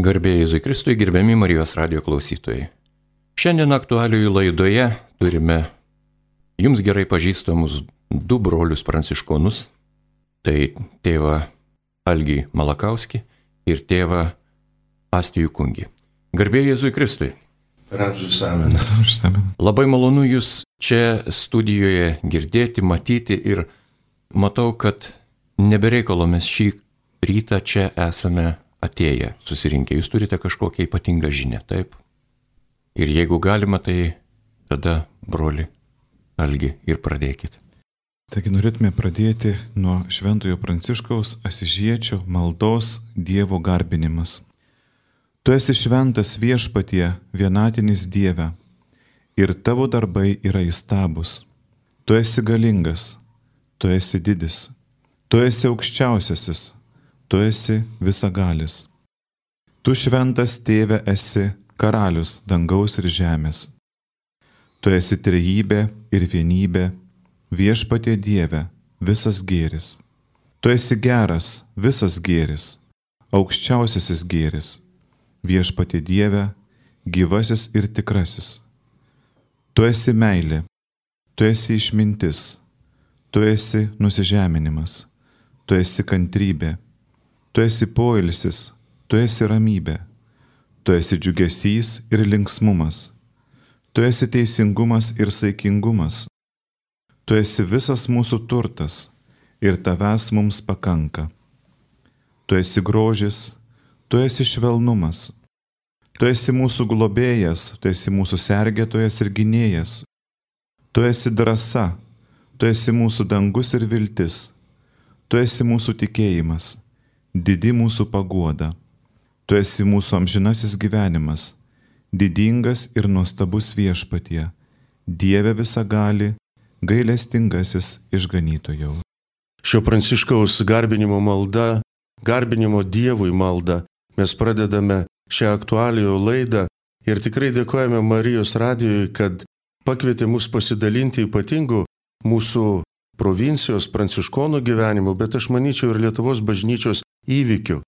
Garbė Jėzui Kristui, gerbiami Marijos radijo klausytojai. Šiandien aktualijų laidoje turime jums gerai pažįstamus du brolius pranciškonus. Tai tėvą Algį Malakauskį ir tėvą Astijų Kungį. Garbė Jėzui Kristui. Labai malonu jūs čia studijoje girdėti, matyti ir matau, kad nebereikalo mes šį rytą čia esame atėję, susirinkę. Jūs turite kažkokią ypatingą žinią, taip? Ir jeigu galima, tai tada, broli Algi, ir pradėkit. Taigi norėtume pradėti nuo Šventojo Pranciškaus Asyžiečio maldos Dievo garbinimas. Tu esi šventas Viešpatie, vienatinis Dieve, ir tavo darbai yra įstabūs. Tu esi galingas, tu esi didis, tu esi aukščiausiasis, tu esi visagalis. Tu šventas Tėve esi karalius dangaus ir žemės. Tu esi trejybė ir vienybė, Viešpatie Dieve, visas gėris. Tu esi geras, visas gėris, aukščiausiasis gėris, Viešpatie Dieve, gyvasis ir tikrasis. Tu esi meilė, tu esi išmintis, tu esi nusižeminimas, tu esi kantrybė, tu esi poilsis, tu esi ramybė, tu esi džiugesys ir linksmumas, tu esi teisingumas ir saikingumas, tu esi visas mūsų turtas ir tavęs mums pakanka. Tu esi grožis, tu esi švelnumas, tu esi mūsų globėjas, tu esi mūsų sergėtojas ir gynėjas, tu esi drąsa, tu esi mūsų dangus ir viltis, tu esi mūsų tikėjimas, didi mūsų paguoda, tu esi mūsų amžinasis gyvenimas, didingas ir nuostabus Viešpatie, Dieve visagali, gailestingasis išganytojau. Šio Pranciškaus garbinimo malda, garbinimo Dievui malda, mes pradedame šią aktualijų laidą ir tikrai dėkojame Marijos radijui, kad pakvietė mus pasidalinti ypatingų mūsų provincijos pranciškonų gyvenimu, bet aš manyčiau ir Lietuvos bažnyčios įvykių.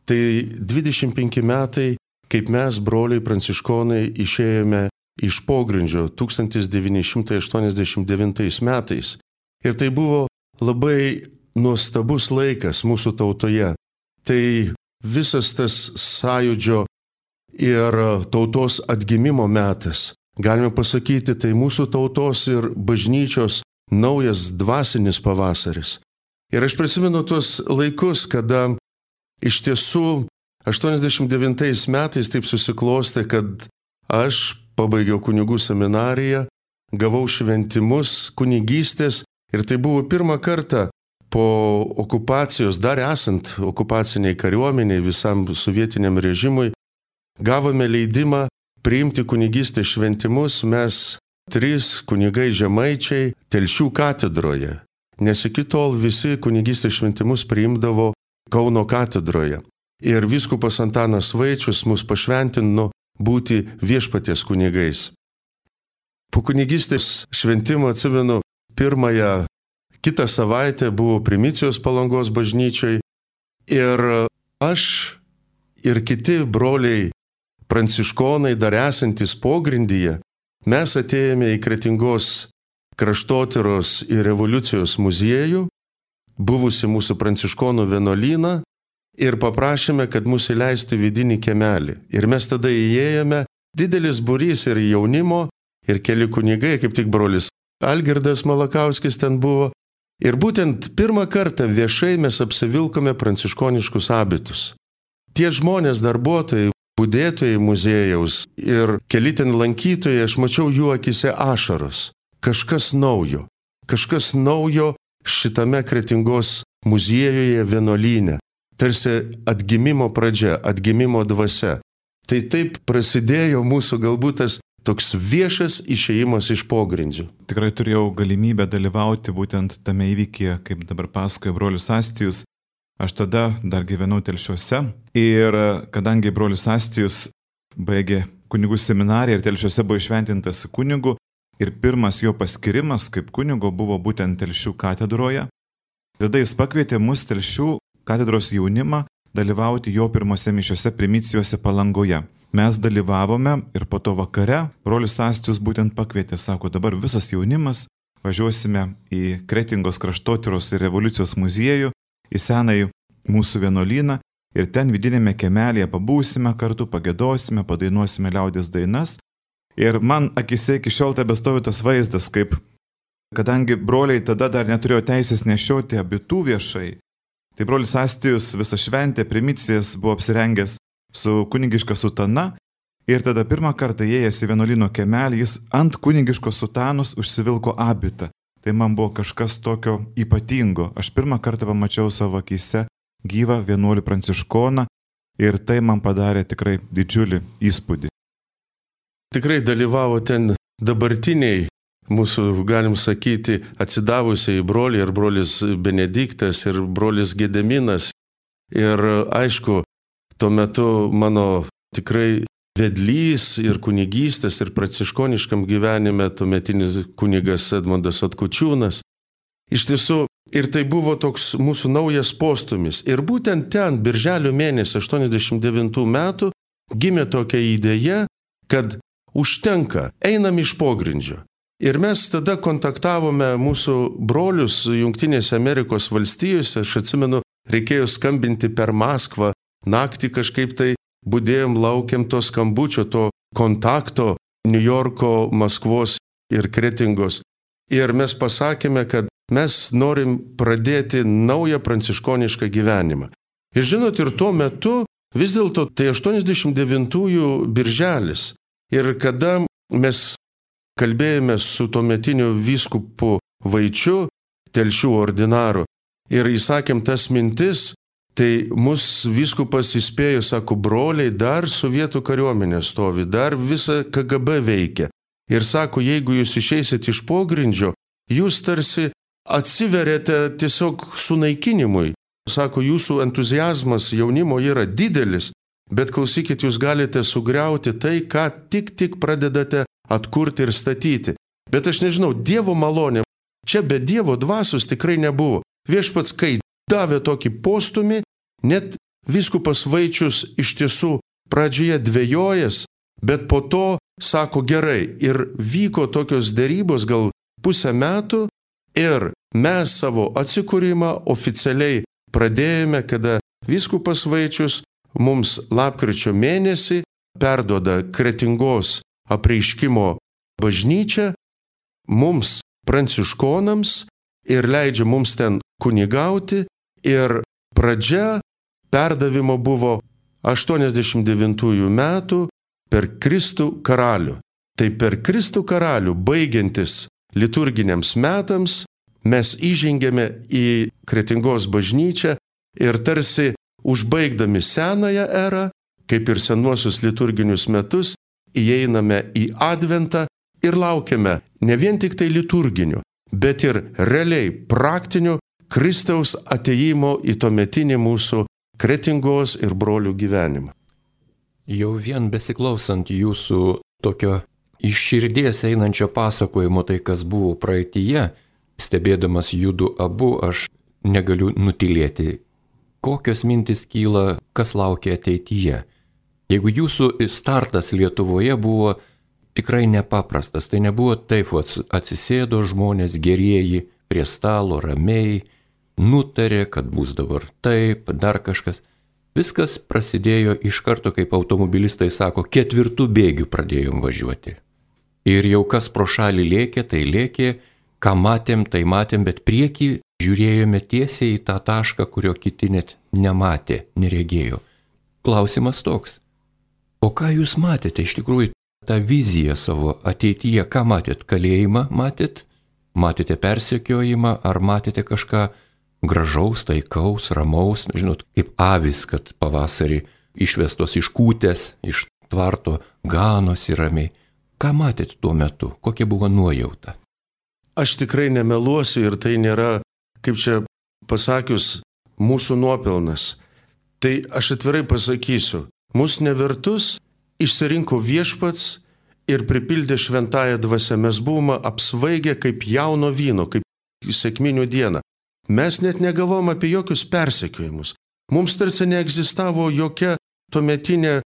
Tai 25 metai, kaip mes, broliai pranciškonai, išėjome iš pogrindžio 1989 metais. Ir tai buvo labai nuostabus laikas mūsų tautoje. Tai visas tas sąjūdžio ir tautos atgimimo metas. Galime pasakyti, tai mūsų tautos ir bažnyčios naujas dvasinis pavasaris. Ir aš prisimenu tuos laikus, kada iš tiesų 89 metais taip susiklostė, kad aš pabaigiau kunigų seminariją, gavau šventimus kunigystės ir tai buvo pirmą kartą po okupacijos, dar esant okupaciniai kariuomeniai visam sovietiniam režimui, gavome leidimą priimti kunigystės šventimus mes 3 kunigai žemaičiai Telšių katedroje, nes iki tol visi kunigystės šventimus priimdavo Kauno katedroje. Ir vyskupas Antanas Vaičius mus pašventino būti Viešpaties kunigais. Po kunigystės šventimo atsimenu kitą savaitę buvo primicijos Palangos bažnyčiai ir aš ir kiti broliai pranciškonai dar esantis pogrindyje, mes atėjome į Kretingos kraštotyros ir revoliucijos muziejų, buvusi mūsų pranciškonų vienuolyną ir paprašėme, kad mus įleistų vidinį kiemelį. Ir mes tada įėjome, didelis būrys ir jaunimo, ir keli kunigai, kaip tik brolis Algirdas Malakauskis ten buvo. Ir būtent pirmą kartą viešai mes apsivilkome pranciškoniškus abitus. Tie žmonės, darbuotojai, budėtojai muziejaus ir keli ten lankytojai, aš mačiau jų akise ašaros. Kažkas naujo šitame Kretingos muziejuje vienuolyne. Tarsi atgimimo pradžia, atgimimo dvasia. Tai taip prasidėjo mūsų galbūt tas toks viešas išėjimas iš pogrindžių. Tikrai turėjau galimybę dalyvauti būtent tame įvykyje, kaip dabar pasakoja brolis Astijus. Aš tada dar gyvenau Telšiuose ir kadangi brolis Astijus baigė kunigų seminariją ir Telšiuose buvo išventintas kunigu ir pirmas jo paskirimas kaip kunigo buvo būtent Telšių katedroje, tada jis pakvietė mus Telšių katedros jaunimą dalyvauti jo pirmose mišiose primicijose Palangoje. Mes dalyvavome ir po to vakare brolis Astijus būtent pakvietė, sako, dabar visas jaunimas važiuosime į Kretingos kraštotyros ir revoliucijos muziejų, į senąjį mūsų vienuolyną ir ten vidinėme kiemelėje pabūsime kartu, pagėdosime, padainuosime liaudies dainas. Ir man akise iki šiol tebestovi tas vaizdas, kaip, kadangi broliai tada dar neturėjo teisės nešioti abitų viešai, tai brolis Astijus visą šventę, primicijas buvo apsirengęs su kunigiška sutana ir tada pirmą kartą įėjęs į vienuolyno kiemelį, jis ant kunigiškos sutanos užsivilko abitą. Tai man buvo kažkas tokio ypatingo. Aš pirmą kartą pamačiau savo akise gyvą vienuolį pranciškoną ir tai man padarė tikrai didžiulį įspūdį. Tikrai dalyvavo ten dabartiniai mūsų, galim sakyti, atsidavusiai broliai, ir brolis Benediktas, ir brolis Gedeminas. Ir aišku, tuo metu mano tikrai vedlys ir kunigystės ir pranciškoniškam gyvenime tuometinis kunigas Edmundas Atkučiūnas. Iš tiesų, ir tai buvo toks mūsų naujas postumis. Ir būtent ten, birželio mėnesį 89 metų, gimė tokia idėja, kad užtenka, einam iš pogrindžio. Ir mes tada kontaktavome mūsų brolius Jungtinėse Amerikos valstijose, aš atsimenu, reikėjo skambinti per Maskvą, naktį kažkaip tai budėjom, laukiam to skambučio, to kontakto New Yorko, Maskvos ir Kretingos. Ir mes pasakėme, kad mes norim pradėti naują pranciškonišką gyvenimą. Ir žinot, ir tuo metu vis dėlto tai 89-ųjų birželis. Ir kada mes kalbėjome su tuometiniu vyskupu Vaičiu, Telšių ordinaru, ir įsakėm tas mintis, tai mus vyskupas įspėjo, sako, broliai, dar sovietų kariuomenė stovi, dar visa KGB veikia. Ir sako, jeigu jūs išeisit iš pogrindžio, jūs tarsi atsiverėte tiesiog sunaikinimui. Sako, jūsų entuziazmas jaunimo yra didelis, bet klausykit, jūs galite sugriauti tai, ką tik pradedate atkurti ir statyti. Bet aš nežinau, Dievo malonė, čia be Dievo dvasios tikrai nebuvo. Viešpats, kai davė tokį postumį, net vyskupas Vaičius iš tiesų pradžioje dvejojęs, bet po to sako gerai. Ir vyko tokios derybos gal pusę metų ir mes savo atsikūrimą oficialiai pradėjome, kada vyskupas Vaičius mums lapkričio mėnesį perduoda Kretingos apreiškimo bažnyčią mums pranciškonams ir leidžia mums ten kunigauti. Ir pradžia perdavimo buvo 89 metų per Kristų karalių. Tai per Kristų karalių baigiantis liturginiams metams mes įžengėme į Kretingos bažnyčią ir tarsi užbaigdami senąją erą, kaip ir senuosius liturginius metus, įeiname į Adventą ir laukiame ne vien tik tai liturginių, bet ir realiai praktinių Kristaus atėjimo į tuometinį mūsų Kretingos ir brolių gyvenimą. Jau vien besiklausant jūsų tokio iš širdies einančio pasakojimo, tai kas buvo praeityje, stebėdamas judu abu, aš negaliu nutilėti. Kokios mintis kyla, kas laukia ateityje? Jeigu jūsų startas Lietuvoje buvo tikrai nepaprastas, tai nebuvo taip, atsisėdo žmonės gerieji prie stalo ramiai, nutarė, kad bus dabar taip, dar kažkas. Viskas prasidėjo iš karto, kaip automobilistai sako, 4 bėgių pradėjom važiuoti. Ir jau kas pro šalį lėkė, tai lėkė, ką matėm, tai matėm, bet priekį žiūrėjome tiesiai į tą tašką, kurio kiti net nematė, neregėjo. Klausimas toks, o ką jūs matėte iš tikrųjų tą viziją savo ateityje? Ką matėt? Kalėjimą matėt? Matėte persekiojimą? Ar matėte kažką gražaus, taikaus, ramaus? Žinot, kaip avis, kad pavasarį išvestos iš kūtės, iš tvarto, ganosi ramiai. Ką matėt tuo metu? Kokia buvo nuojauta? Aš tikrai nemeluosiu ir tai nėra, kaip čia pasakius, mūsų nuopelnas. Tai aš atvirai pasakysiu, mūsų nevertus išsirinko viešpats ir pripildė šventąją dvasią. Mes buvome apsvaigę kaip jauno vyno, kaip sekminių dieną. Mes net negalvom apie jokius persekiojimus. Mums tarsi neegzistavo jokia tuometinė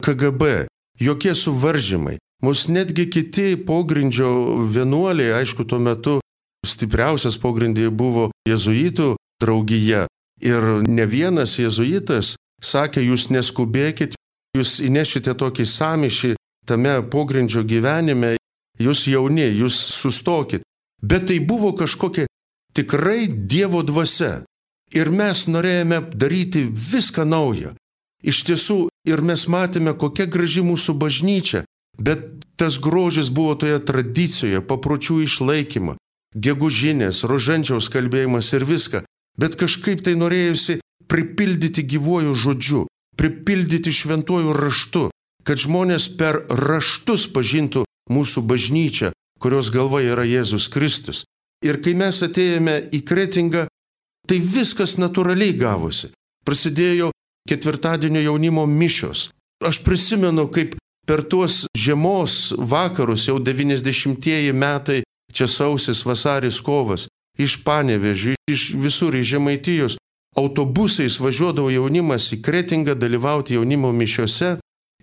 KGB, jokie suvaržymai. Mūsų netgi kiti pogrindžio vienuoliai, aišku, tuo metu stipriausias pogrindyje buvo jėzuitų draugija. Ir ne vienas jėzuitas sakė, jūs neskubėkit, jūs įnešite tokį sąmyšį tame pogrindžio gyvenime, jūs jauni, jūs sustokit. Bet tai buvo kažkokia tikrai Dievo dvasia. Ir mes norėjome daryti viską naują. Iš tiesų, ir mes matėme, kokia graži mūsų bažnyčia, bet tas grožis buvo toje tradicijoje, papročių išlaikymo, gegužinės, rožančiaus kalbėjimas ir viską. Bet kažkaip tai norėjusi pripildyti gyvuoju žodžiu, pripildyti šventuoju raštu, kad žmonės per raštus pažintų mūsų bažnyčią, kurios galva yra Jėzus Kristus. Ir kai mes atėjome į Kretingą, tai viskas natūraliai gavosi. Prasidėjo ketvirtadienio jaunimo mišios. Aš prisimenu, kaip per tuos žiemos vakarus, jau 90-ieji metai, čia sausis, vasaris, kovas, iš Panevėžio, iš visur iš Žemaitijos, autobusais važiuodavo jaunimas į Kretingą dalyvauti jaunimo mišiose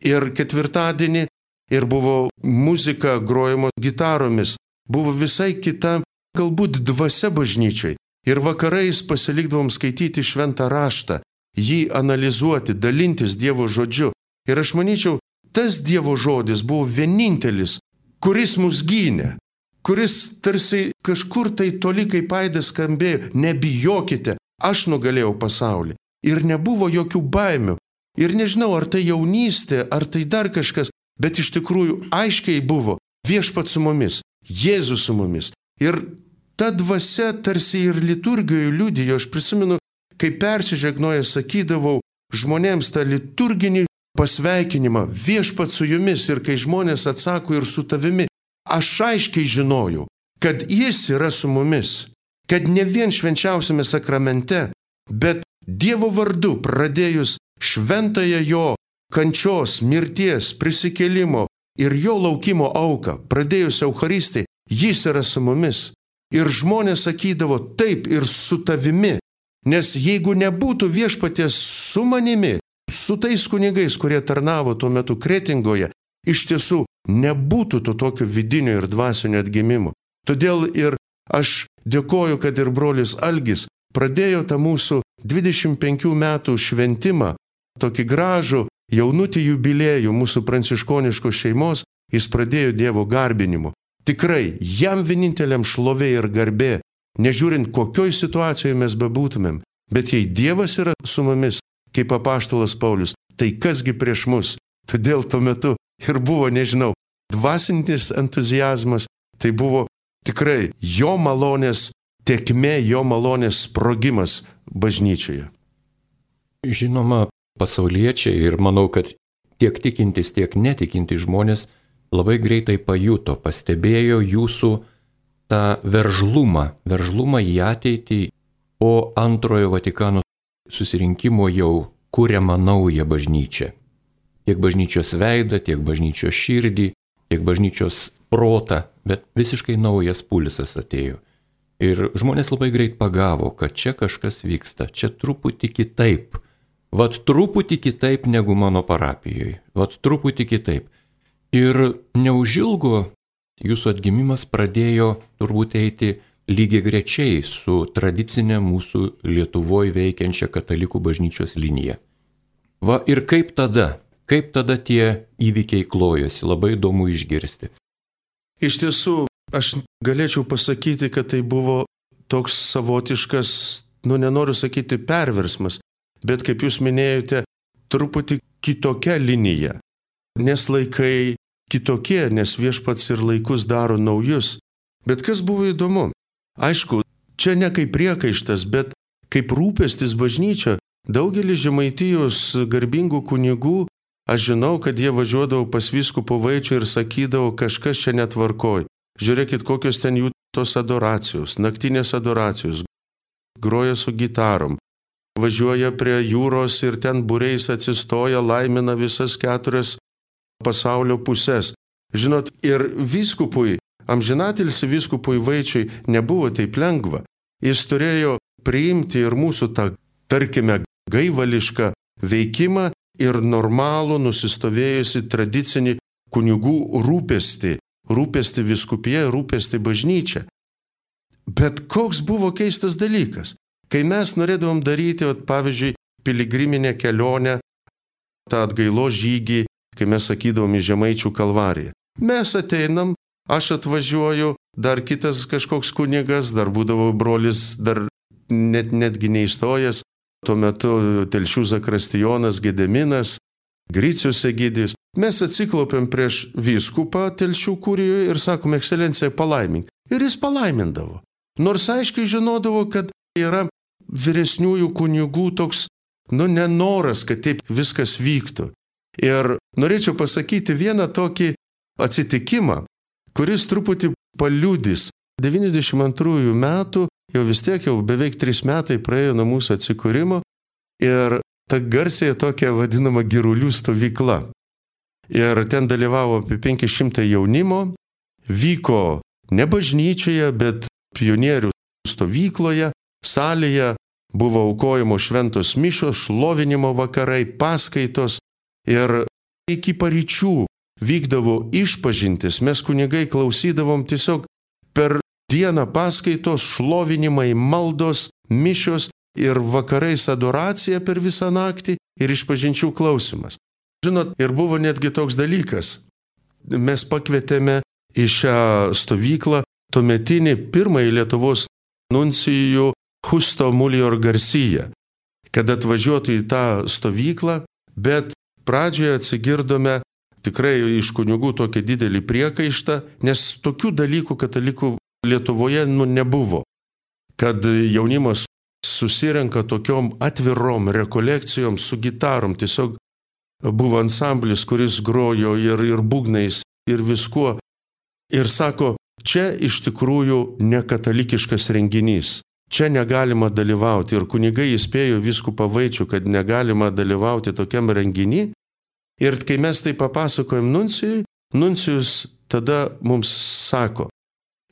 ir ketvirtadienį ir buvo muzika grojama gitaromis, buvo visai kita, galbūt dvasia bažnyčiai. Ir vakarais pasilikdavom skaityti šventą raštą, jį analizuoti, dalintis Dievo žodžiu. Ir aš manyčiau, tas Dievo žodis buvo vienintelis, kuris mus gynė, kuris tarsi kažkur tai toli kaip aidas skambėjo, nebijokite, aš nugalėjau pasaulį. Ir nebuvo jokių baimių. Ir nežinau, ar tai jaunystė, ar tai dar kažkas, bet iš tikrųjų aiškiai buvo Viešpats su mumis, Jėzus su mumis. Ir ta dvasia tarsi ir liturgijoje liudijo. Aš prisimenu, kai persižegnoję sakydavau žmonėms tą liturginį pasveikinimą, Viešpats su jumis, ir kai žmonės atsako ir su tavimi, aš aiškiai žinojau, kad jis yra su mumis, kad ne vien švenčiausiame sakramente, bet Dievo vardu pradėjus šventąją jo kančios, mirties, prisikėlimo ir jo laukimo auką, pradėjus Eucharistai, jis yra su mumis. Ir žmonės sakydavo taip ir su tavimi, nes jeigu nebūtų Viešpaties su manimi, su tais kunigais, kurie tarnavo tuo metu Kretingoje, iš tiesų nebūtų to tokio vidinio ir dvasinio atgimimo. Todėl ir aš dėkoju, kad ir brolis Algis pradėjo tą mūsų 25 metų šventimą, tokį gražų jaunutį jubiliejų mūsų pranciškoniškos šeimos, jis pradėjo Dievo garbinimu. Tikrai, jam vieninteliam šlovė ir garbė, nežiūrint kokioj situacijoje mes bebūtumėm, bet jei Dievas yra su mumis, kaip apaštalas Paulius, tai kasgi prieš mus? Todėl tuo metu ir buvo, nežinau, dvasinis entuziazmas, tai buvo tikrai jo malonės tėkmė, jo malonės sprogimas bažnyčioje. Žinoma, pasauliečiai ir manau, kad tiek tikintis, tiek netikintis žmonės labai greitai pajuto, pastebėjo jūsų tą veržlumą į ateitį, o antrojo Vatikano susirinkimo jau kuriamą naują bažnyčią. Tiek bažnyčios veidą, tiek bažnyčios širdį, tiek bažnyčios protą, bet visiškai naujas pulsas atėjo. Ir žmonės labai greit pagavo, kad čia kažkas vyksta, čia truputį kitaip. Vat truputį kitaip negu mano parapijoje, vat truputį kitaip. Ir neužilgo jūsų atgimimas pradėjo turbūt eiti lygiai grečiai su tradicinė mūsų Lietuvoje veikiančia katalikų bažnyčios linija. Va ir kaip tada tie įvykiai klojosi, labai įdomu išgirsti. Iš tiesų, aš galėčiau pasakyti, kad tai buvo toks savotiškas, nenoriu sakyti perversmas, bet kaip jūs minėjote, truputį kitokia linija. Nes laikai kitokie, nes Viešpats ir laikus daro naujus. Bet kas buvo įdomu? Aišku, čia ne kaip priekaištas, bet kaip rūpestis bažnyčia. Daugelis Žemaitijos garbingų kunigų, aš žinau, kad jie važiuodavo pas vyskupo Vaičių ir sakydavo, kažkas čia netvarkoj. Žiūrėkit, kokios ten jų tos adoracijos, naktinės adoracijos, groja su gitarom. Važiuoja prie jūros ir ten būriais atsistoja, laimina visas 4 pasaulio pusės. Žinot, ir vyskupui, amžinatilsi vyskupui Vaičiui nebuvo taip lengva. Jis turėjo priimti ir mūsų tą, tarkime, gaivališką veikimą ir normalų nusistovėjusi tradicinį kunigų rūpestį vyskupija, rūpestį bažnyčia. Bet koks buvo keistas dalykas, kai mes norėdavom daryti, pavyzdžiui, piligriminę kelionę, tą atgailos žygį, kai mes sakydavom į Žemaičių kalvariją. Mes ateinam, aš atvažiuoju, dar kitas kažkoks kunigas, dar būdavo brolis, dar netgi neįstojęs, tuo metu Telšių zakristijonas Gediminas, Gricius Egidijus. Mes atsiklaupėm prieš vyskupą Telšių kurijoje ir sakom, ekscelencija, palaimink. Ir jis palaimindavo. Nors aiškiai žinodavo, kad yra vyresniųjų kunigų toks, nenoras, kad taip viskas vyktų. Ir norėčiau pasakyti vieną tokį atsitikimą, kuris truputį paliudys. 92 metų, jau vis tiek jau beveik 3 metai praėjo nuo mūsų atsikūrimo ir ta garsiai tokia vadinama girulių stovykla. Ir ten dalyvavo apie 500 jaunimo, vyko ne bažnyčioje, bet pionierių stovykloje, salėje buvo aukojimo šventos mišios, šlovinimo vakarai, paskaitos ir iki paryčių vykdavo išpažintis. Mes kunigai klausydavom tiesiog per dieną paskaitos, šlovinimai, maldos, mišios ir vakarais adoracija per visą naktį ir išpažinčių klausimas. Žinot, ir buvo netgi toks dalykas. Mes pakvietėme į šią stovyklą tuometinį pirmąjį Lietuvos nuncijų Justo Mulior Garcia, kad atvažiuotų į tą stovyklą, bet pradžioje atsigirdome tikrai iš kunigų tokį didelį priekaištą, nes tokių dalykų katalikų Lietuvoje nebuvo, kad jaunimas susirenka tokiom atvirom rekolekcijom su gitarom, tiesiog buvo ansamblis, kuris grojo ir būgnais, ir viskuo. Ir sako, čia iš tikrųjų nekatalikiškas renginys, čia negalima dalyvauti. Ir kunigai įspėjo vyskupą Vaičių, kad negalima dalyvauti tokiam renginį. Ir kai mes tai papasakojom nuncijui, nuncijus tada mums sako,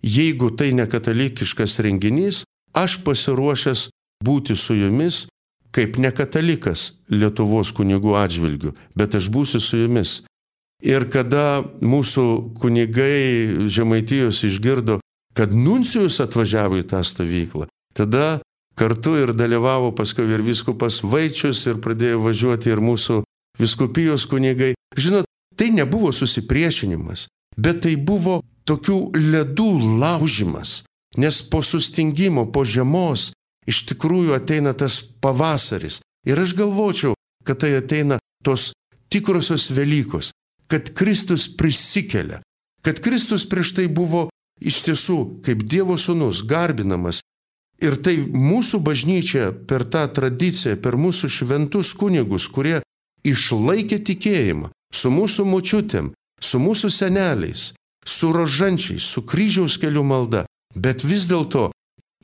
jeigu tai nekatalikiškas renginys, aš pasiruošęs būti su jumis kaip nekatalikas Lietuvos kunigų atžvilgių, bet aš būsiu su jumis. Ir kada mūsų kunigai Žemaitijos išgirdo, kad nuncijus atvažiavo į tą stovyklą, tada kartu ir dalyvavo paskui ir vyskupas Vaičius ir pradėjo važiuoti ir mūsų vyskupijos kunigai. Žinot, tai nebuvo susipriešinimas, bet tai buvo tokių ledų laužimas, nes po sustingimo, po žiemos iš tikrųjų ateina tas pavasaris. Ir aš galvočiau, kad tai ateina tos tikrosios Velykos, kad Kristus prisikelia, kad Kristus prieš tai buvo iš tiesų kaip Dievo sūnus garbinamas. Ir tai mūsų bažnyčia per tą tradiciją, per mūsų šventus kunigus, kurie išlaikė tikėjimą su mūsų močiutėm, su mūsų seneliais, su rožančiais, su kryžiaus kelių malda, bet vis dėlto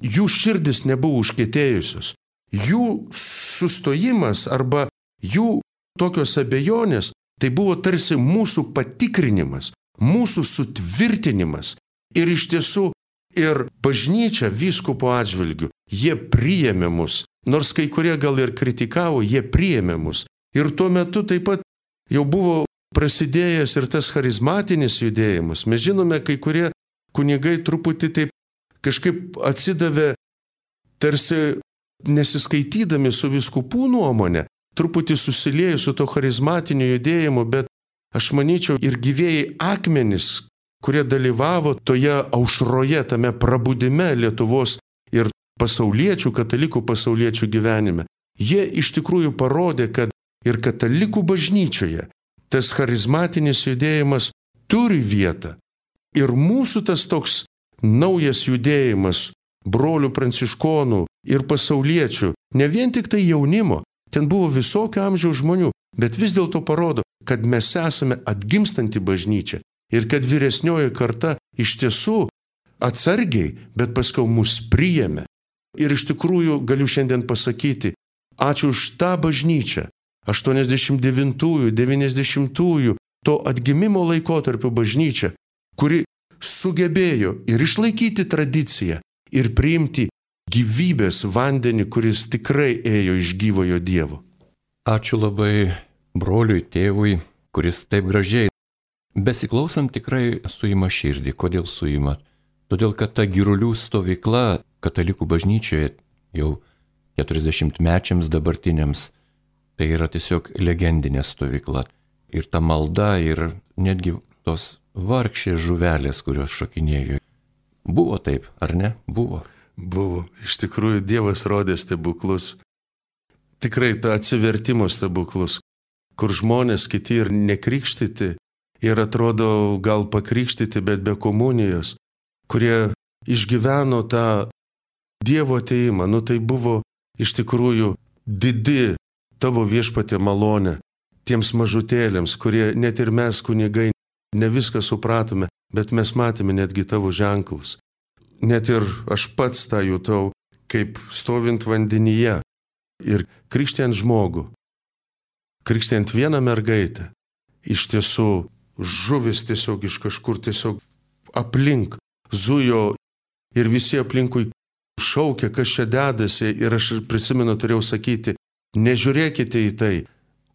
jų širdis nebuvo užkietėjusios. Jų sustojimas arba jų tokios abejonės, tai buvo tarsi mūsų patikrinimas, mūsų sutvirtinimas. Ir iš tiesų ir bažnyčia vyskupo atžvilgių, jie priėmė mus, nors kai kurie gal ir kritikavo, jie priėmė mus. Ir tuo metu taip pat jau buvo prasidėjęs ir tas charizmatinis judėjimas. Mes žinome, kai kurie kunigai truputį taip kažkaip atsidavė, tarsi nesiskaitydami su vyskupų nuomonė, truputį susiliejo su to charizmatiniu judėjimu, bet aš manyčiau ir gyvėjai akmenys, kurie dalyvavo toje aušroje, tame prabudime Lietuvos ir pasauliečių, katalikų pasauliečių gyvenime, jie iš tikrųjų parodė, kad ir katalikų bažnyčioje tas charizmatinis judėjimas turi vietą. Ir mūsų tas toks naujas judėjimas brolių pranciškonų ir pasauliečių, ne vien tik tai jaunimo, ten buvo visokio amžiaus žmonių, bet vis dėlto parodo, kad mes esame atgimstanti bažnyčia ir kad vyresnioji karta iš tiesų atsargiai, bet paskui mus priėmė. Ir iš tikrųjų galiu šiandien pasakyti, ačiū už tą bažnyčią, 89-ųjų, 90-ųjų, to atgimimo laikotarpio bažnyčią, kuri sugebėjo ir išlaikyti tradiciją, ir priimti gyvybės vandenį, kuris tikrai ėjo iš gyvojo Dievo. Ačiū labai broliui, tėvui, kuris taip gražiai, besiklausant tikrai suima širdį. Kodėl suima? Todėl, kad ta Girulių stovykla katalikų bažnyčioje jau 40-mečiams dabartiniams, tai yra tiesiog legendinė stovykla. Ir ta malda, ir netgi tos vargšės žuvelės, kurios šokinėjo. Buvo taip, ar ne? Buvo. Buvo. Iš tikrųjų, Dievas rodė stebuklus. Tikrai tą atsivertimo stebuklus, kur žmonės kiti ir nekrikštyti, ir atrodo gal pakrikštyti, bet be komunijos, kurie išgyveno tą Dievo ateimą. Tai buvo iš tikrųjų didi tavo viešpatie malonė tiems mažutėliams, kurie net ir mes kunigai ne viską supratome, bet mes matėme netgi tavo ženklus. Net ir aš pats tą jutau, kaip stovint vandenyje ir krikštijant žmogų, krikštijant vieną mergaitę, iš tiesų žuvis tiesiog iš kažkur tiesiog aplink zujo ir visi aplinkui šaukė, kas čia dedasi, ir aš prisimenu, turėjau sakyti, nežiūrėkite į tai,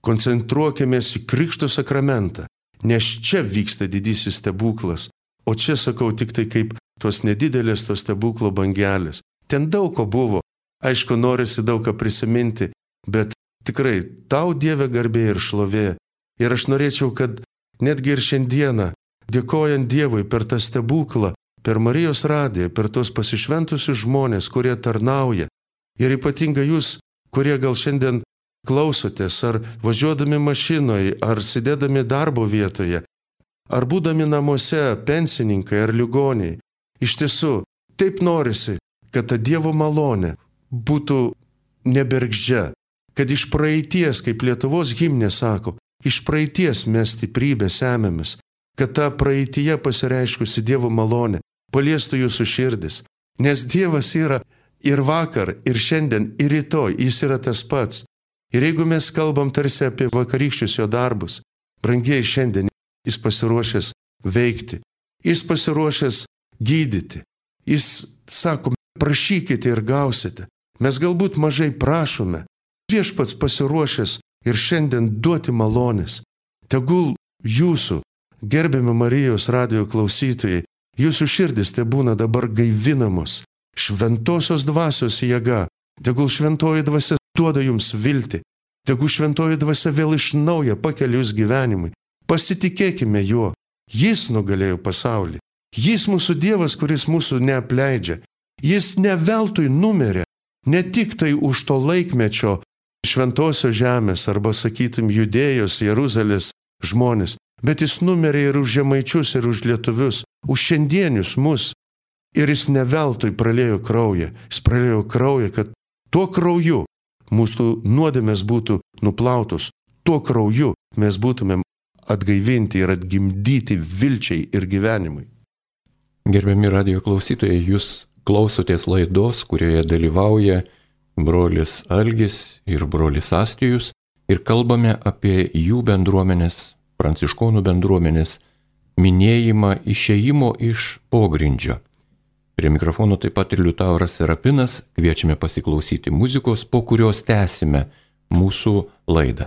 koncentruokimės į Krikšto sakramentą, nes čia vyksta didysis stebuklas, o čia sakau tik tai kaip tos nedidelės tos stebuklo bangelės. Ten daug ko buvo, aišku, norisi daug ką prisiminti, bet tikrai tau Dieve garbė ir šlovė. Ir aš norėčiau, kad netgi ir šiandieną, dėkojant Dievui per tą stebuklą, per Marijos radiją, per tos pasišventusius žmonės, kurie tarnauja, ir ypatingai jūs, kurie gal šiandien klausotės, ar važiuodami mašinoje, ar sėdėdami darbo vietoje, ar būdami namuose, pensininkai ar ligoniai. Iš tiesų, taip norisi, kad ta Dievo malonė būtų nebergždžia, kad iš praeities, kaip Lietuvos himnė sako, iš praeities mes stiprybę semiamės, kad ta praeityje pasireiškusi Dievo malonė paliestų jūsų širdis, nes Dievas yra ir vakar, ir šiandien, ir rytoj, jis yra tas pats. Ir jeigu mes kalbam tarsi apie vakarykščius jo darbus, brangiai šiandien jis pasiruošęs veikti, jis pasiruošęs gydyti, jis sako, prašykite ir gausite. Mes galbūt mažai prašome, viešpats pasiruošęs ir šiandien duoti malonės. Tegul jūsų, gerbiami Marijos radijo klausytojai, jūsų širdis te būna dabar gaivinamos šventosios dvasios jėga. Tegul šventoji dvasia duoda jums viltį. Tegul šventoji dvasia vėl iš naujo pakelia jūs gyvenimui. Pasitikėkime juo. Jis nugalėjo pasaulį. Jis mūsų Dievas, kuris mūsų neapleidžia. Jis ne veltui numirė, ne tik tai už to laikmečio šventosios žemės arba, sakytum, Judėjos, Jeruzalės žmonės, bet jis numirė ir už žemaičius, ir už lietuvius, už šiandienius mus. Ir jis ne veltui praliejo kraują. Jis praliejo kraują, kad tuo krauju mūsų nuodėmės būtų nuplautos. Tuo krauju mes būtumėm atgaivinti ir atgimdyti vilčiai ir gyvenimui. Gerbiami radijo klausytojai, jūs klausotės laidos, kurioje dalyvauja brolis Algis ir brolis Astijus, ir kalbame apie jų bendruomenės, pranciškonų bendruomenės minėjimą išėjimo iš pogrindžio. Prie mikrofono taip pat ir Liutauras Serapinas, kviečiame pasiklausyti muzikos, po kurios tęsime mūsų laidą.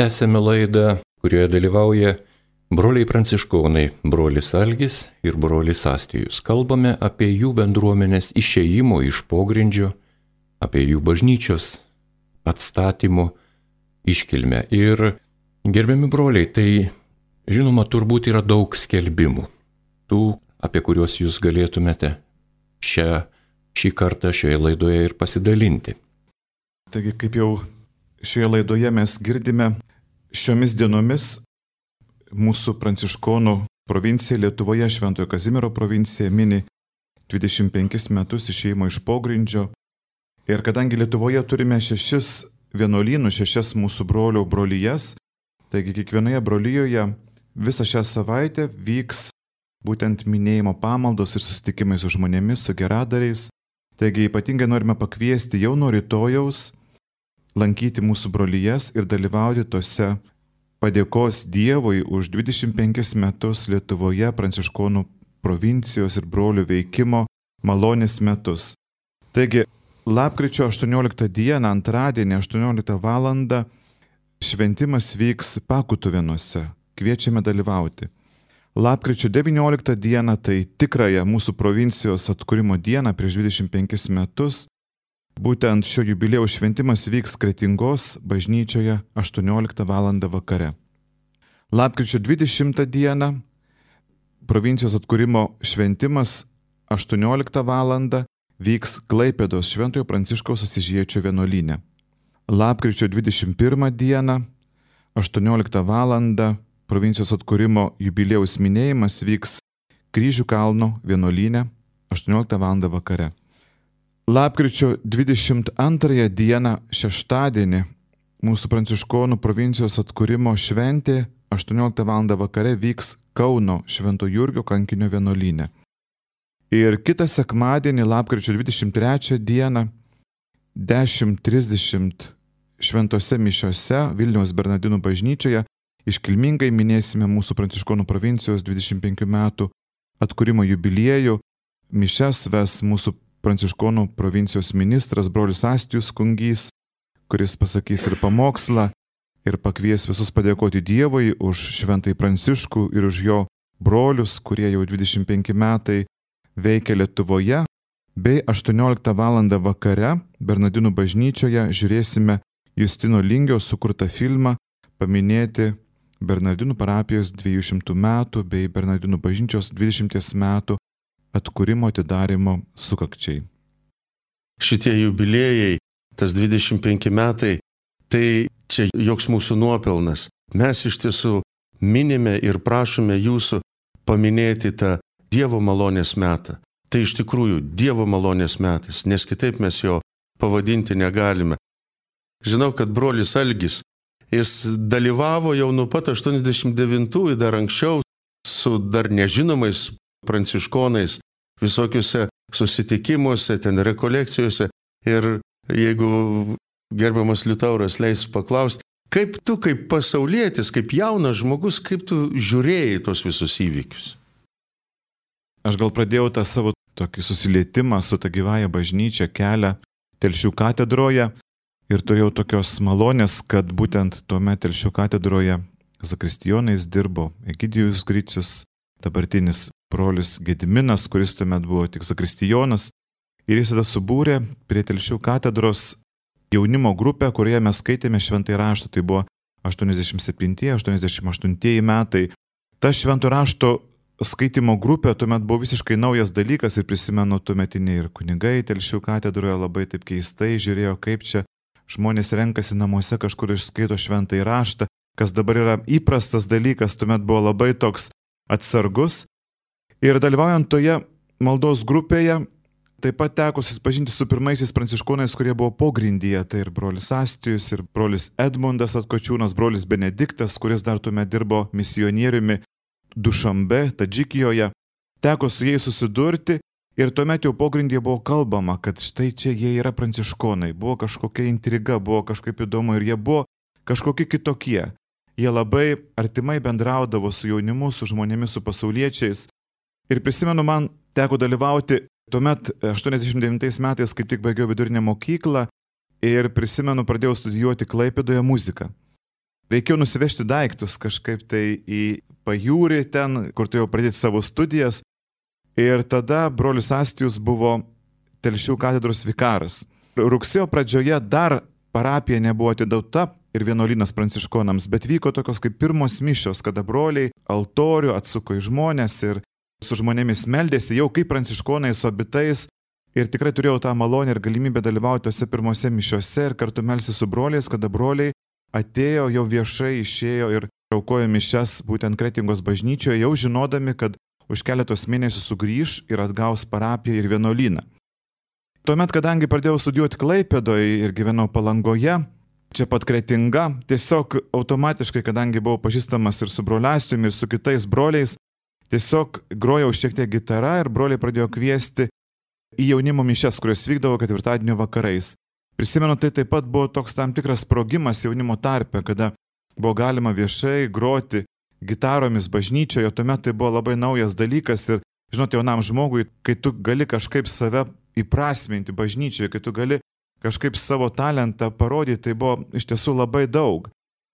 Tęsėme laidą, kurioje dalyvauja broliai pranciškonai, brolis Algis ir brolis Astijus. Kalbame apie jų bendruomenės išėjimo iš pogrindžio, apie jų bažnyčios atstatymo iškilmę. Ir gerbiami broliai, tai žinoma, turbūt yra daug skelbimų, tų, apie kuriuos jūs galėtumėte šį kartą šioje laidoje ir pasidalinti. Taigi, kaip jau šioje laidoje mes girdime, šiomis dienomis mūsų pranciškonų provincija Lietuvoje, Šventojo Kazimiero provincija, mini 25 metus išėjimo iš pogrindžio. Ir kadangi Lietuvoje turime 6 vienuolynus, 6 mūsų brolių brolijas, taigi kiekvienoje brolijoje visą šią savaitę vyks būtent minėjimo pamaldos ir susitikimai su žmonėmis, su geradariais. Taigi ypatingai norime pakviesti jau nuo rytojaus lankyti mūsų brolijas ir dalyvauti tose padėkos Dievui už 25 metus Lietuvoje pranciškonų provincijos ir brolių veikimo malonės metus. Taigi, lapkričio 18 dieną, antradienį, 18 val. Šventimas vyks Pakutuvėnuose. Kviečiame dalyvauti. Lapkričio 19 dieną, tai tikrąją mūsų provincijos atkūrimo dieną prieš 25 metus, būtent šio jubiliejaus šventimas vyks Kretingos bažnyčioje 18 val. Vakare. Lapkričio 20 dieną provincijos atkūrimo šventimas 18 val. Vyks Klaipėdos Šventojo Pranciškaus Asyžiečio vienuolyne. Lapkričio 21 dieną 18 val. Provincijos atkūrimo jubiliejaus minėjimas vyks Kryžių kalno vienuolyne 18 val. Vakare. Lapkričio 22 dieną šeštadienį mūsų pranciškonų provincijos atkūrimo šventė 18 val. Vakare vyks Kauno Švento Jurgio kankinio vienuolyne. Ir kitą sekmadienį, lapkričio 23 dieną 10:30 šventose mišiose Vilniaus Bernardinų bažnyčioje iškilmingai minėsime mūsų pranciškonų provincijos 25 metų atkūrimo jubiliejų. Mišias ves mūsų pranciškonų provincijos ministras brolis Astijus Kungys, kuris pasakys ir pamokslą ir pakvies visus padėkoti Dievui už šventąjį Pranciškų ir už jo brolius, kurie jau 25 metai veikia Lietuvoje. Bei 18 val. Vakare Bernardinų bažnyčioje žiūrėsime Justino Lingio sukurtą filmą paminėti Bernardinų parapijos 200 metų bei Bernardinų bažnyčios 20 metų atkūrimo atidarimo sukakčiai. Šitie jubiliejai, tas 25 metai, tai čia joks mūsų nuopelnas. Mes iš tiesų minime ir prašome jūsų paminėti tą Dievo malonės metą. Tai iš tikrųjų Dievo malonės metas, nes kitaip mes jo pavadinti negalime. Žinau, kad brolis Algis, jis dalyvavo jau nuo pat 89-ųjų, dar anksčiau, su dar nežinomais pranciškonais visokiuose susitikimuose, ten rekolekcijose. Ir jeigu gerbiamas Liutauras leis paklausti, kaip tu, kaip pasaulietis, kaip jaunas žmogus, kaip tu žiūrėjai tos visus įvykius? Aš gal pradėjau tą savo tokį susilietimą su ta gyvąja bažnyčia kelią Telšių katedroje ir turėjau tokios malonės, kad būtent tuomet Telšių katedroje zakristijonais dirbo Egidijus Gricius, dabartinis brolis Gediminas, kuris tuomet buvo tik zakristijonas, ir jis tada subūrė prie Telšių katedros jaunimo grupę, kurioje mes skaitėme šventąjį raštą. Tai buvo 87-88 metai. Ta šventojo rašto skaitimo grupė tuomet buvo visiškai naujas dalykas ir prisimenu, tuometiniai ir kunigai Telšių katedroje labai taip keistai žiūrėjo, kaip čia žmonės renkasi namuose kažkur išskaito šventąjį raštą, kas dabar yra įprastas dalykas, tuomet buvo labai toks atsargus. Ir dalyvaujant toje maldos grupėje, taip pat teko susipažinti su pirmaisiais pranciškonais, kurie buvo pogrindyje, tai ir brolis Astijus, ir brolis Edmundas Atkočiūnas, brolis Benediktas, kuris dar tuomet dirbo misionieriumi Dušambe, Tadžikijoje. Teko su jais susidurti ir tuomet jau pogrindyje buvo kalbama, kad štai čia jie yra pranciškonai. Buvo kažkokia intriga, buvo kažkaip įdomu ir jie buvo kažkokie kitokie. Jie labai artimai bendraudavo su jaunimu, su žmonėmis, su pasauliečiais. Ir prisimenu, man teko dalyvauti tuomet 89 metais, kaip tik baigiau vidurinę mokyklą ir prisimenu, pradėjau studijuoti Klaipėdoje muziką. reikėjo nusivežti daiktus kažkaip tai į pajūrį ten, kur turėjau pradėti savo studijas. Ir tada brolis Astijus buvo Telšių katedros vikaras. Rugsėjo pradžioje dar parapija nebuvo atidauta ir vienuolynas pranciškonams, bet vyko tokios kaip pirmos mišios, kada broliai altorių atsuko į žmonės ir su žmonėmis meldėsi jau kaip pranciškonai su abitais. Ir tikrai turėjau tą malonę ir galimybę dalyvauti tose pirmose mišiose ir kartu melsti su broliais, kada broliai atėjo, jau viešai išėjo ir aukojo mišias būtent Kretingos bažnyčioje, jau žinodami, kad už keletos mėnesių sugrįš ir atgaus parapiją ir vienuolyną. Tuomet, kadangi pradėjau studijuoti Klaipėdoje ir gyvenau Palangoje, čia pat Kretinga, tiesiog automatiškai, kadangi buvau pažįstamas ir su broliu Astijumi, ir su kitais broliais, tiesiog grojau šiek tiek gitarą ir broliai pradėjo kviesti į jaunimo mišias, kurios vykdavo ketvirtadienio vakarais. Prisimenu, tai taip pat buvo toks tam tikras sprogimas jaunimo tarpe, kada buvo galima viešai groti gitaromis bažnyčioje, tuomet tai buvo labai naujas dalykas ir, žinot, jaunam žmogui, kai tu gali kažkaip save įprasminti bažnyčioje, kai tu gali kažkaip savo talentą parodyti, tai buvo iš tiesų labai daug.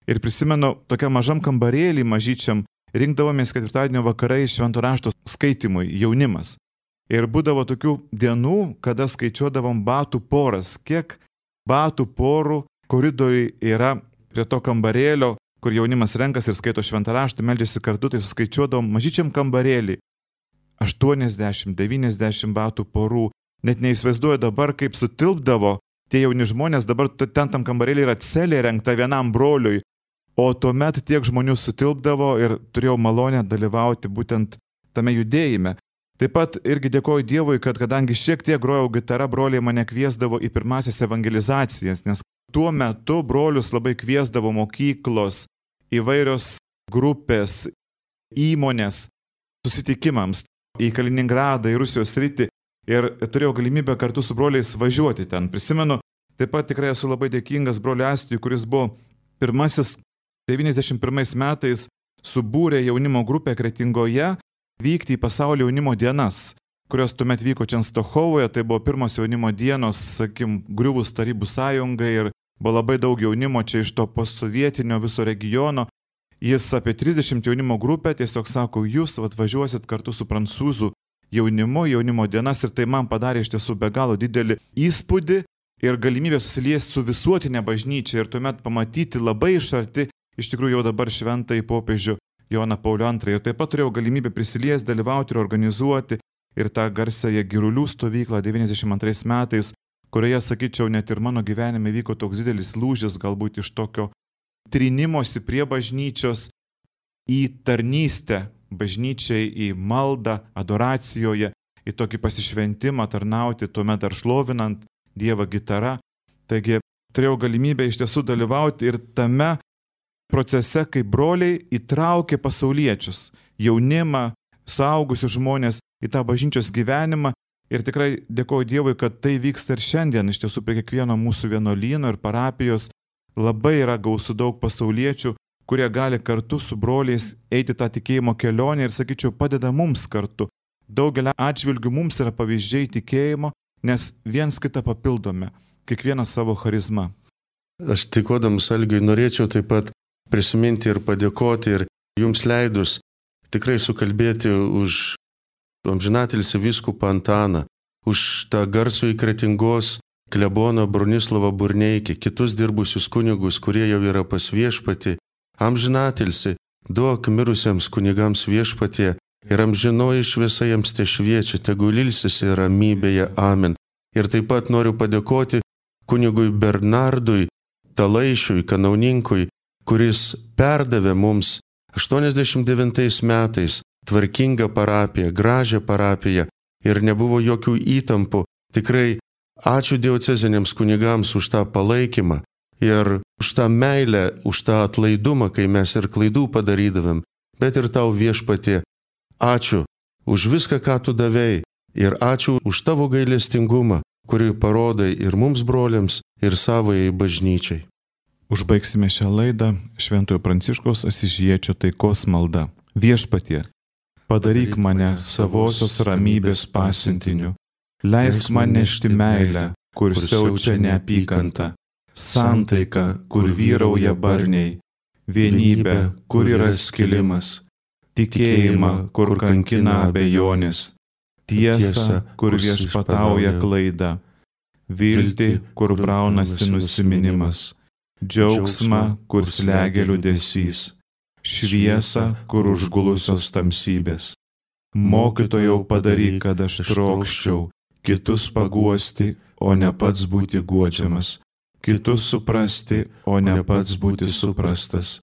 Ir prisimenu, tokiam mažam kambarėlį mažyčiam rinkdavomės ketvirtadienio vakarai švento rašto skaitimui, jaunimas. Ir būdavo tokių dienų, kada skaičiuodavom batų poras, kiek batų porų koridoriai yra prie to kambarėlio, kur jaunimas renkas ir skaito šventą raštą, meldžiasi kartu, tai suskaičiuodavom mažyčiam kambarėlį 80-90 batų porų. Net neįsivaizduoju dabar, kaip sutilpdavo tie jauni žmonės, dabar ten tam kambarėlį yra celė rengta vienam broliui, o tuomet tiek žmonių sutilpdavo ir turėjau malonę dalyvauti būtent tame judėjime. Taip pat irgi dėkoju Dievui, kad kadangi šiek tiek grojau gitarą, broliai mane kviesdavo į pirmasias evangelizacijas, nes tuo metu brolius labai kviesdavo mokyklos, įvairios grupės, įmonės susitikimams į Kaliningradą, į Rusijos sritį ir turėjau galimybę kartu su broliais važiuoti ten. Prisimenu, taip pat tikrai esu labai dėkingas broliui Astijui, kuris buvo pirmasis 91 metais subūrė jaunimo grupę Kretingoje vykti į pasaulio jaunimo dienas, kurios tuomet vyko čia Stokholmoje, tai buvo pirmos jaunimo dienos, sakim, griuvus Tarybų sąjungai ir buvo labai daug jaunimo čia iš to postsovietinio viso regiono. Jis apie 30 jaunimo grupę tiesiog sako, jūs atvažiuosit kartu su prancūzų jaunimo dienas ir tai man padarė iš tiesų be galo didelį įspūdį ir galimybę susiliesti su visuotinė bažnyčia ir tuomet pamatyti labai iš arti, iš tikrųjų jau dabar šventąjį popiežių Joną Paulių II. Ir taip pat turėjau galimybę prisiliesti, dalyvauti ir organizuoti ir tą garsąją Girulių stovyklą 92 metais, kurioje, sakyčiau, net ir mano gyvenime vyko toks didelis lūžis, galbūt iš tokio trinimosi prie bažnyčios į tarnystę bažnyčiai, į maldą, adoracijoje, į tokį pasišventimą tarnauti, tuomet dar šlovinant Dievą gitara. Taigi turėjau galimybę iš tiesų dalyvauti ir tame procese, kai broliai įtraukė pasauliečius, jaunimą, suaugusius žmonės į tą bažnyčios gyvenimą ir tikrai dėkoju Dievui, kad tai vyksta ir šiandien. Iš tiesų prie kiekvieno mūsų vienuolyno ir parapijos labai yra gausu daug pasauliečių, kurie gali kartu su broliais eiti tą tikėjimo kelionę ir, sakyčiau, padeda mums kartu. Daugelio atžvilgių mums yra pavyzdžiai tikėjimo, nes viens kitą papildome, kiekvienas savo charizmą. Aš tikodamas Algiui norėčiau taip pat prisiminti ir padėkoti ir jums leidus tikrai sukalbėti už amžinatilsį vyskupą Antaną, už tą garsų į Kretingos kleboną Bronislavą Burneikį, kitus dirbusius kunigus, kurie jau yra pas viešpatį. Amžinatilsį, duok mirusiems kunigams viešpatie ir amžinoji šviesa jiems te šviečia, tegul ilsisi ramybėje. Amen. Ir taip pat noriu padėkoti kunigui Bernardui Talaišiui, kanauninkui, kuris perdavė mums 89 metais tvarkingą parapiją, gražią parapiją ir nebuvo jokių įtampų. Tikrai ačiū dioceziniams kunigams už tą palaikymą ir už tą meilę, už tą atlaidumą, kai mes ir klaidų padarydavėm, bet ir tau viešpatie. Ačiū už viską, ką tu davei ir ačiū už tavo gailestingumą, kurį parodai ir mums broliams, ir savojai bažnyčiai. Užbaigsime šią laidą Šventojo Pranciškaus Asyžiečio taikos malda. Viešpatie, padaryk mane savosios ramybės pasiuntiniu. Leisk man nešti meilę, kur siaučia neapykanta, santaiką, kur vyrauja barniai, vienybę, kur yra skilimas, tikėjimą, kur kankina abejonės, tiesą, kur viešpatauja klaida, viltį, kur braunasi nusiminimas, džiaugsmą, kur slegia liūdesys, šviesą, kur užgulusios tamsybės. Mokytojau, padaryk, kad aš trokščiau kitus paguosti, o ne pats būti guodžiamas, kitus suprasti, o ne pats būti suprastas,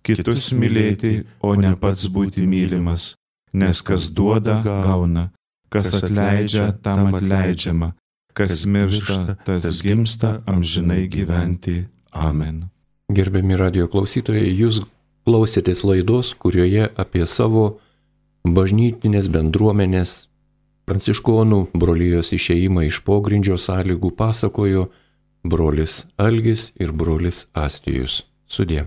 kitus mylėti, o ne pats būti mylimas, nes kas duoda, gauna, kas atleidžia, tam atleidžiama, kas miršta, tas gimsta amžinai gyventi. Amen. Gerbiami radijo klausytojai, jūs klausėtės laidos, kurioje apie savo bažnytinės bendruomenės pranciškonų brolijos išėjimą iš pogrindžio sąlygų pasakojo brolis Algis ir brolis Astijus. Sudie.